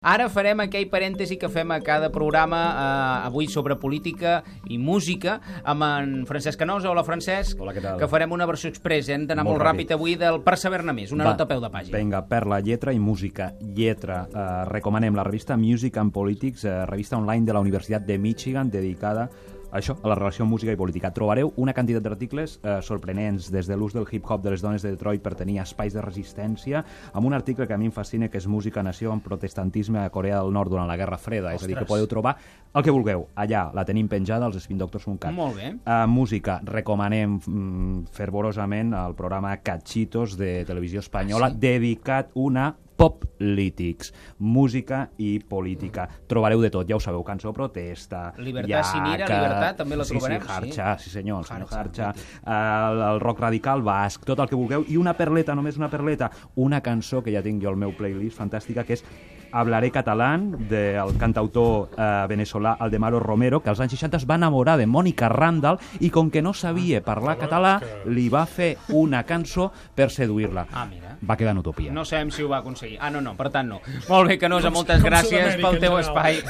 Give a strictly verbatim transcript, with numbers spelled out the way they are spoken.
Ara farem aquell parèntesi que fem a cada programa, eh, avui sobre política i música, amb en Francesc Canosa. Hola, Francesc. Hola, què tal? Que farem una versió express, hem d'anar molt, molt ràpid. ràpid avui del Per saber-ne més, una Va, nota a peu de pàgina. Vinga, per la lletra i música. Lletra. Eh, recomanem la revista Music and Politics, eh, revista online de la Universitat de Michigan, dedicada a això, a la relació música i política. Trobareu una quantitat d'articles eh, sorprenents, des de l'ús del hip-hop de les dones de Detroit per tenir espais de resistència, amb un article que a mi em fascina, que és Música Nació en protestantisme a Corea del Nord durant la Guerra Freda. Ostres. És a dir, que podeu trobar el que vulgueu. Allà la tenim penjada als spin doctors punt cat. Molt bé. Uh, música. Recomanem mm, fervorosament el programa Cachitos de Televisió Espanyola, ah, sí? dedicat una Poplítics, música i política. Trobareu de tot, ja ho sabeu, cançó protesta, Libertad sin ira, Libertad, també la trobarem. Sí, sí, Harcha, sí, sí senyor, el senyor Harcha, Harcha. El, el rock radical basc, tot el que vulgueu, i una perleta, només una perleta, una cançó que ja tinc jo al meu playlist fantàstica, que és Hablaré catalán, del cantautor eh, venezolà Aldemaro Romero, que als anys seixanta es va enamorar de Mònica Randall i com que no sabia parlar català, li va fer una cançó per seduir-la. Ah, mira. Va quedar en utopia. No sabem si ho va aconseguir. Ah, no, no, per tant no. Molt bé, Canosa, moltes gràcies pel teu espai.